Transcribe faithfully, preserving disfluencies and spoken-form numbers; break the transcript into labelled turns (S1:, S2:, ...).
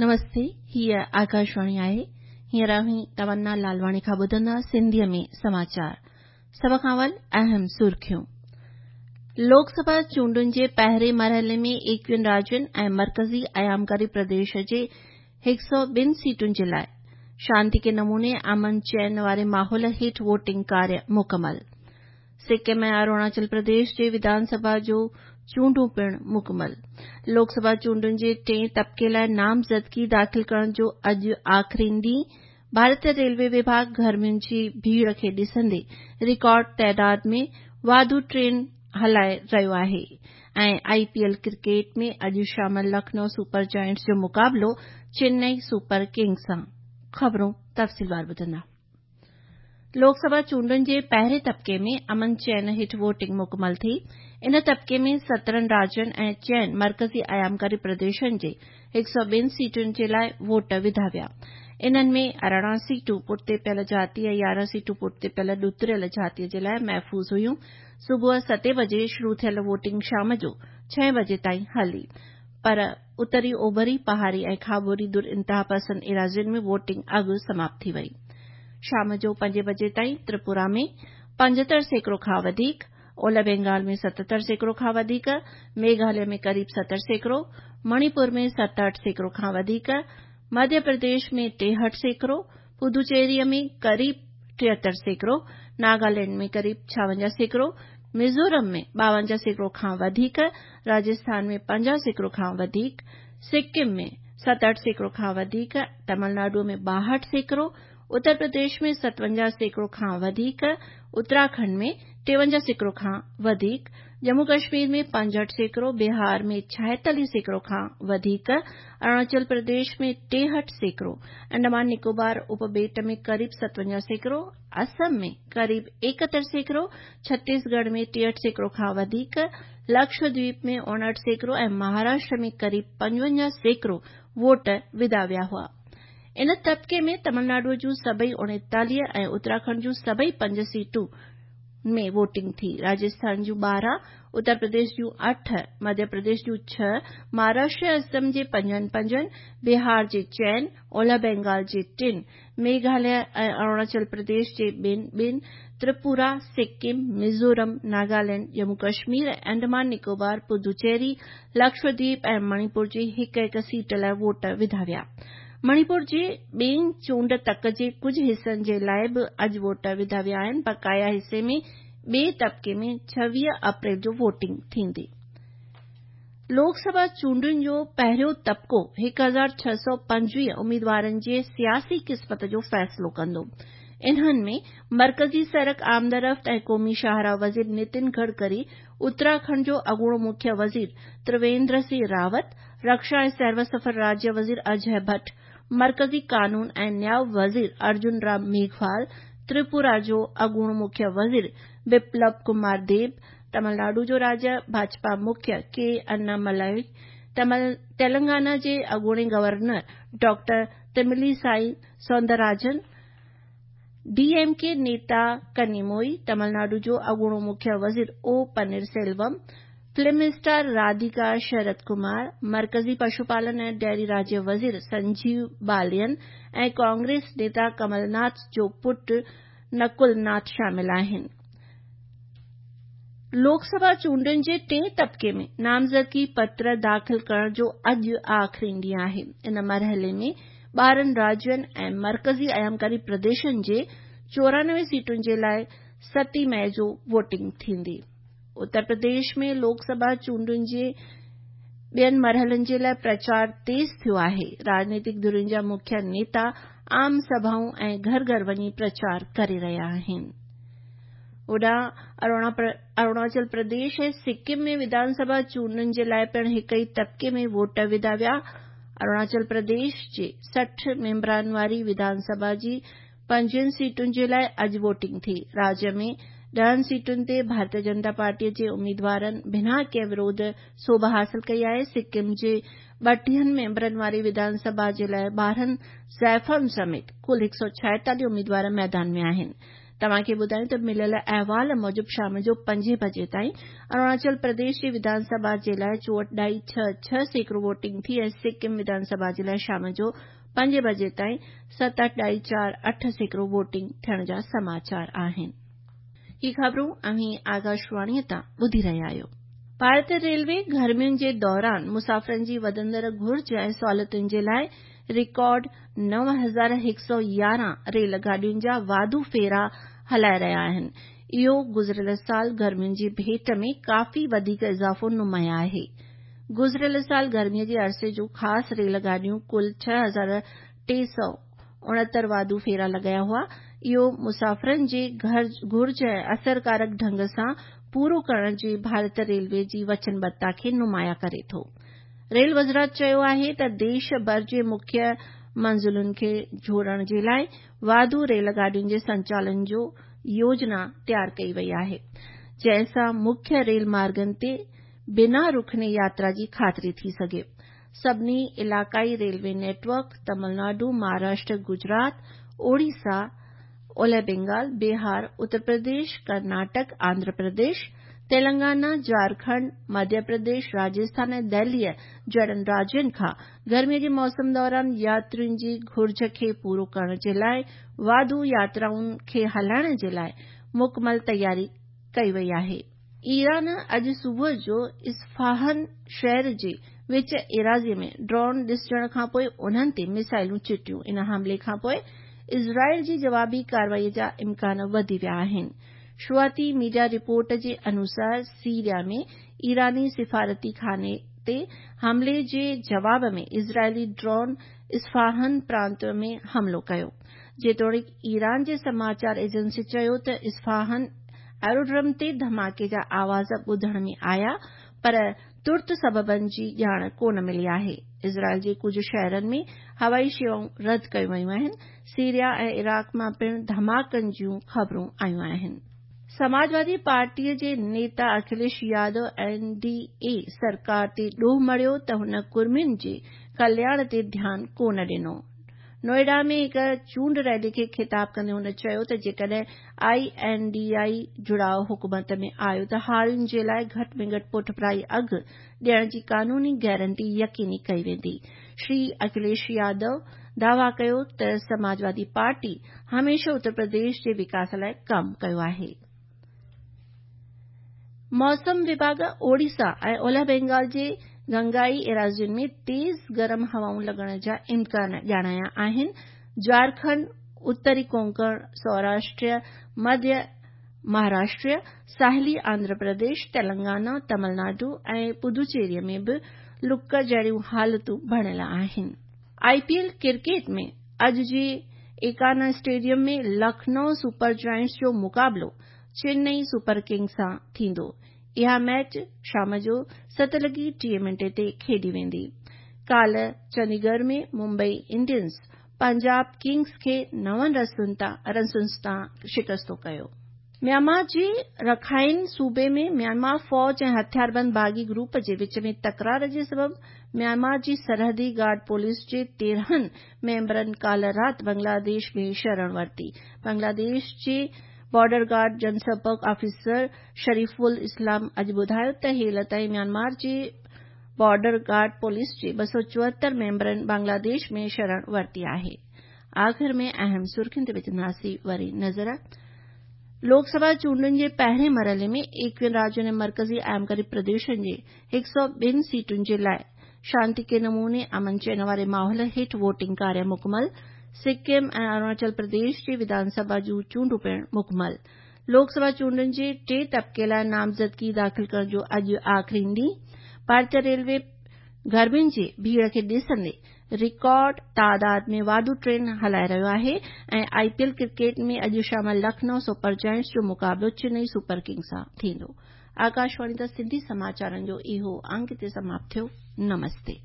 S1: نمستي، هيء آڪاشواڻي آهي. هينئر اوهين تمنا لالواڻي کان ٻڌندا سنڌيء ۾ سماچار. سڀ کان اول اهم سرخيون. لوڪ سڀا چونڊن جي پهرين مرحلي ۾ ايڪويهن راجين ۽ مرڪزي ايامڪاري پرديش جي هڪ سؤ ٻن سيٽن جي لاءِ شانتيڪي نموني امن چين واري ماحول هيٺ ووٽنگ ڪاريه مڪمل. سڪم ۽ اروناچل پرديش جي وڌان سڀا جو چونڊون پڻ مڪمل. لوڪ سڀا چونڊن جي ٽئين طبقي لاءِ نامزدگي داخل ڪرڻ جو اڄ آخرين ڏينهن. ڀارتي ريلوي وڀاڳ گرمين جي ڀيڙ کي ڏسندي رڪارڊ تعداد ۾ واڌو ٽرين هلائي رهيو آهي ۽ آء پي ايل ڪرڪيٽ ۾ اڄ شام لکنؤ سپر جائنٽس جو مقابلو چنئي سپر ڪنگز سان. خبرون تفصيلوار ٻڌندا. لوڪ سڀا چونڊن جي پهرين طبقي ۾ امن چين هيٺ ووٽنگ مڪمل ٿي. ان طبقي ۾ سترهن راجين ۽ چئن مرڪزي ايامڪاري پرديشن جي هڪ سؤ ٻن سيٽن جي لاءِ ووٽ وڌا ويا. انهن ۾ ارڙهن سيٽون پٺتي پيل جاتي ۽ يارهن سيٽون پٺتي پيل ڏتڙيل جاتي جي لاءِ محفوظ هيون. صبح ستين بجي شروع ٿيل ووٽنگ شام جو ڇهين بجي تائين هلي. پر اتري اوڀري، پهاڙي ۽ کاٻوري ڌر انتهاپسند ايراضين ۾ ووٽنگ اڳ سماپت ٿي وئي. شام جو پنجين بجي تائين تريپورا ۾ پنجهتر سيڪڙو کان وڌيڪ، اولهه بينگال ۾ ستهتر سيڪڙو کان وڌيڪ، ميگهاليه ۾ قريب ستر سيڪڙو، مڻيپور ۾ ستهٺ سيڪڙو کان وڌيڪ، مڌيه پرديش ۾ ٽيهٺ سيڪڙو، پدوچيري ۾ قريب ٽيهتر سيڪڙو، ناگالينڊ ۾ قريب ڇاونجاهه سيڪڙو، ميزورم ۾ ٻاونجاهه سيڪڙو کان وڌيڪ، راجسٿان ۾ پنجاهه سيڪڙو کان وڌيڪ، سڪم ۾ ستهٺ سيڪڙو کان وڌيڪ، تامل ناڊو ۾ ٻاهٺ سيڪڙو، اتر پرديش ۾ ستونجاهه سيڪڙو کان وڌيڪ، اتراکنڊ ۾ ٽيونجاهه سيڪڙو کان وڌيڪ، ڄمون ڪشمير ۾ پنجهٺ سيڪڙو، بهار ۾ ڇائيتاليهه سيڪڙو کان وڌيڪ، اروناچل پرديش ۾ ٽيهٺ سيڪڙو، انڊمان نڪوبار اپٻيٽ ۾ قريب ستونجاهه سيڪڙو، آسام ۾ قريب ايڪهتر سيڪڙو، ڇتيسڳڙهه ۾ ٽيهٺ سيڪڙو کان وڌيڪ، لڪشدويپ ۾ اوڻهٺ سيڪڙو ۽ مهاراشٽر ۾ قريب پنجونجاهه سيڪڙو ووٽ وڌا ويا هئا. ان طبقي ۾ تامل ناڊو جون سڀئي اوڻيتاليهه ۽ اتراکنڊ جون سڀئي پنج سيٽون ۾ ووٽنگ ٿي. راجسٿان جون ٻارهن، اتر پرديش جون اٺ، مڌيه پرديش جون ڇهه، مهاراشٽر ۽ آسام جي پنجن پنجن، بهار جي چئن، اولهه بينگال جي ٽن، ميگهاليه ۽ اروناچل پرديش جي ٻن ٻن، تريپورا، سڪم، ميزورم، ناگالينڊ، ڄمون ڪشمير ۽ انڊمان نڪوبار، پدوچيري، لڪشدويپ ۽ مڻيپور جي هڪ هڪ سيٽ لاءِ ووٽ وڌا ويا. مڻيپور جي ٻئين چونڊ تڪ جي ڪجهه حصن جي لاءِ به اڄ ووٽ وڌا ويا آهن. بقايا حصي ۾ ٻئي طبقي ۾ ڇويهه اپريل جو ووٽنگ ٿيندي. لوڪ سڀا چونڊن جو پهريون طبقو هڪ هزار ڇهه سؤ پنجويهه اميدوارن جي سياسي قسمت جو فيصلو ڪندو. انهن ۾ مرڪزي سڙڪ آمدرفت ۽ قومي شاهراهه وزير نتن گڊڪري، اتراکنڊ جو اڳوڻو مکيه وزير ترويندر سنگهه راوت، رڪشا ۽ سيروسفر راجيه وزير اجي ڀٽ، مرڪزي قانون ۽ نياءُ وزير ارجن رام ميگهوال، تريپورا جو اڳوڻو مکيه وزير بپلب ڪمار ديب، تامل ناڊو جو راجيه ڀاجپا مکيه ڪي انا ملائي، تيلنگانا جي اڳوڻي governor doctor Tamilisai Soundararajan, D M K نيتا ڪنيموئي، تامل ناڊو جو اڳوڻو مکيه وزير او پنير سيلوم، فلم اسٽار راڌيڪا شرد ڪمار، مرڪزي پشوپالن ۽ ڊيري راجيه وزير سنجيو بالين ۽ ڪانگريس نيتا ڪمل ناٿ جو پٽ نڪل ناٿ شامل آهن. لوڪ سڀا چونڊن جي ٽئين طبقي ۾ نامزدگي پتر داخل ڪرڻ جو اڄ آخرين ڏينهن آهي. ان مرحلي ۾ ٻارهن راجين ۽ مرڪزي ايامڪاري پرديشن جي چورانوي سيٽن جي لاءِ ستين مئي جو ووٽنگ ٿيندي. اتر پرديش ۾ لوڪ سڀا چونڊن جي ٻين مرحلن جي لاءِ پرچار تيز ٿيو آهي. راڄنيتڪ ڌرين جا مکيه نيتا عام سڀائون ۽ گهر گهر وڃي پرچار ڪري رهيا آهن. هوڏانهن اروناچل پرديش ۽ سڪم ۾ وڌان سڀا چونڊن جي لاءِ پڻ هڪ ئي طبقي ۾ ووٽ وڌا ويا. اروناچل پرديش جي سٺ ميمبرن واري وڌان سڀا جي پنجويهن سيٽن جي لاءِ اڄ ووٽنگ ٿي. راجيه ۾ ڏهن سيٽن تي ڀارتيه جنتا پارٽيءَ جي اميدوارن بنا ڪنهن وروڌ سوڀ حاصل ڪئي آهي. سڪم جي ٻٽيهن ميمبرن واري وڌان سڀا جي لاءِ ٻارهن زائفن سميت ڪل هڪ سؤ ڇائيتاليهه اميدوار ميدان ۾ آهن. توهان کي ٻڌايون ته مليل احوال موجب شام جو پنجين بجي تائين اروناچل پرديش جي وڌان سڀا جي لاءِ چوهٺ ڏهائي ڇهه ڇهه سيڪڙو ووٽنگ ٿي ۽ سڪم وڌان سڀا جي لاءِ شام جو پنجين بجي تائين ستهٺ ڏهائي چار اٺ سيڪڙو ووٽنگ ٿيڻ جا سماچار آهن. هي خبرون اوهين آڪاشواڻيء تان ٻڌي رهيا آهيو. ڀارتي ريلوي گرمين جي دوران مسافرن جي وڌندڙ گهرج ۽ سهولتن جي لاءِ رڪارڊ نو هزار هڪ سؤ يارهن ريل گاڏين جا واڌو ڦيرا هلائي رهيا آهن. اهو گذريل سال گرمين جي ڀيٽ ۾ ڪافي وڌيڪ اضافو نمايان آهي. گذريل سال گرميء جي عرصي جون خاص ريل گاڏيون ڪل ڇهه هزار ٽي سؤ اڻهتر واڌو ڦيرا لڳايا هئا. اهو مسافرن جي گهرج ۽ اثرڪارڪ ڍنگ سان پورو ڪرڻ جي ڀارت ريلوي جي وچنبڌتا کي نمايان ڪري ٿو. ريل وزارت چيو آهي ته ديش ڀر جي مکيه منزلن کي جوڙڻ جي لاءِ واڌو ريل گاڏين جي سنچالن جو يوجنا تيار ڪئي وئي آهي، جنهن سان مکيه ريل مارگن تي بنا رڪڻي ياترا جي خاطري ٿي سگهي. سڀني علائقائي railway network Tamil Nadu, Maharashtra, Gujarat, Orissa, اولهه بنگال، بهار، اتر پرديش، ڪرناٽڪ، آنڌرا پرديش، تيلنگانا، جهارکنڊ، مڌيه پرديش، راجسٿان ۽ دهليء جهڙن راجين کان گرميء جي موسم دوران ياترين جي گهرج کي پورو ڪرڻ جي لاءِ واڌو ياترائن کي هلائڻ جي لاءِ مڪمل تياري ڪئي وئي آهي. ايران اڄ صبح جو اصفهان شهر جي وچ ايراضيء ۾ ڊرون ڏسجڻ کانپوءِ انهن تي ميسائلون چٽيون. ان حملي کانپوءِ اسرائيل جي جوابي ڪارروائيء جا امڪان وڌي ويا آهن. شروعاتي ميڊيا رپورٽ جي انوسار سيريا ۾ ايراني سفارتي خاني تي حملي جي جواب ۾ اسرائيلي ڊرون اصفهان پرانت ۾ حملو ڪيو. جيتوڻيڪ ايران جي سماچار ايجنسي چيو ته اصفهان ايروڊرم تي ڌماڪي جا آواز ٻڌڻ ۾ آيا پر ترت سببن جي ڄاڻ ڪونه ملي آهي. اسرائيل جي ڪجهه شهرن ۾ هوائي شيوائون رد ڪيون ويون آهن. سيريا ۽ عراق مان پڻ ڌماڪن جون خبرون آيون آهن. سماجوادي پارٽيء جي نيتا اکليش يادو اين ڊي اي سرڪار تي ڏوهه مڙهيو ته هن ڪڙمين جي ڪلياڻ تي ڌيان ڪونه ڏنو. نوئيڊا ۾ هڪ چونڊ ريلي کي خطاب ڪندي هن چيو ته جيڪڏهن I N D I جڙاءُ حڪومت ۾ آيو ته هارين جي لاءِ گهٽ ۾ گهٽ پٺڀرائي اگهه ڏيڻ جي قانوني گارنٽي يقيني ڪئي ويندي. شري اکليش يادو دعويٰ ڪيو ته سماجوادي پارٽي هميشه اتر پرديش جي وڪاس لاءِ ڪم ڪيو آهي. موسم وڀاڳ اوڙيسا ۽ اولهه بنگال جي گنگائي ايراضين ۾ تيز گرم هوائون لڳڻ جا امڪان ڄاڻايا آهن. جهارکنڊ، اتري ڪونڪڻ، سوراشٽر، مڌيه مهاراشٽر، ساحلي آنڌرا پرديش، تيلنگانا، تامل ناڊو ۽ پدوچيريء ۾ به لڪ جهڙيون حالتون بڻيل آهن. آءِ پي ايل ڪرڪيٽ ۾ اڄ جي ايڪانا اسٽيڊيم ۾ لکنؤ سپر جائنٽس جو مقابلو چنئي سپر ڪنگز سان ٿيندو. اها ميچ شام جو ست لڳي ٽيهه منٽي تي کيڏي ويندي. ڪالهه چنديڳڙهه ۾ ممبئي انڊينز پنجاب ڪنگز کي نون رنسن تان شڪست ڪيو. ميانمار جي رکائن صوبي ۾ ميانمار فوج ۽ هٿياربند باغي گروپ جي وچ ۾ تڪرار جي سبب ميانمار جي سرحدي گارڊ پوليس جي تيرهن ميمبرن ڪالهه رات بنگلاديش ۾ شرڻ ورتي. بنگلاديش جي بارڊر گارڊ جنسمپرڪ آفيسر شريف الاسلام اڄ ٻڌايو ته هيل تائين ميانمار جي بارڊر گارڊ پوليس جي ٻه سؤ چوهتر ميمبرن بنگلاديش ۾ شرڻ ورتي آهي. آخر ۾ اهم سرخين تي وجهنداسين وري نظر. لوڪ سڀا چونڊن جي پهرين مرحلي ۾ ايڪويهن راجين ۽ مرڪزي ايامڪاري پرديشن جي هڪ سؤ ٻن سيٽن جي لاءِ شانتيڪي نموني امن چين واري ماحول هيٺ ووٽنگ ڪاريه مڪمل. سڪم ۽ اروناچل پرديش جي وڌان سڀا جون چونڊون پڻ مڪمل. لوڪ سڀا چونڊن جي ٽئين طبقي لاءِ نامزدگي داخل ڪرڻ جو اڄ آخري ڏينهن. ڀارتيه ريلوي گرمين جي ڀيڙ کي ڏسندي رڪارڊ تعداد ۾ واڌو ٽرين هلائي رهيو آهي ۽ آءِ پي ايل ڪرڪيٽ ۾ اڄ شام لکنؤ سپر جائنٽس جو مقابلو چنئي سپر ڪنگز سان ٿيندو. آڪاشواڻي تان سنڌي سماچارن جو اهو انگ هتي سماپت ٿيو. نمستي.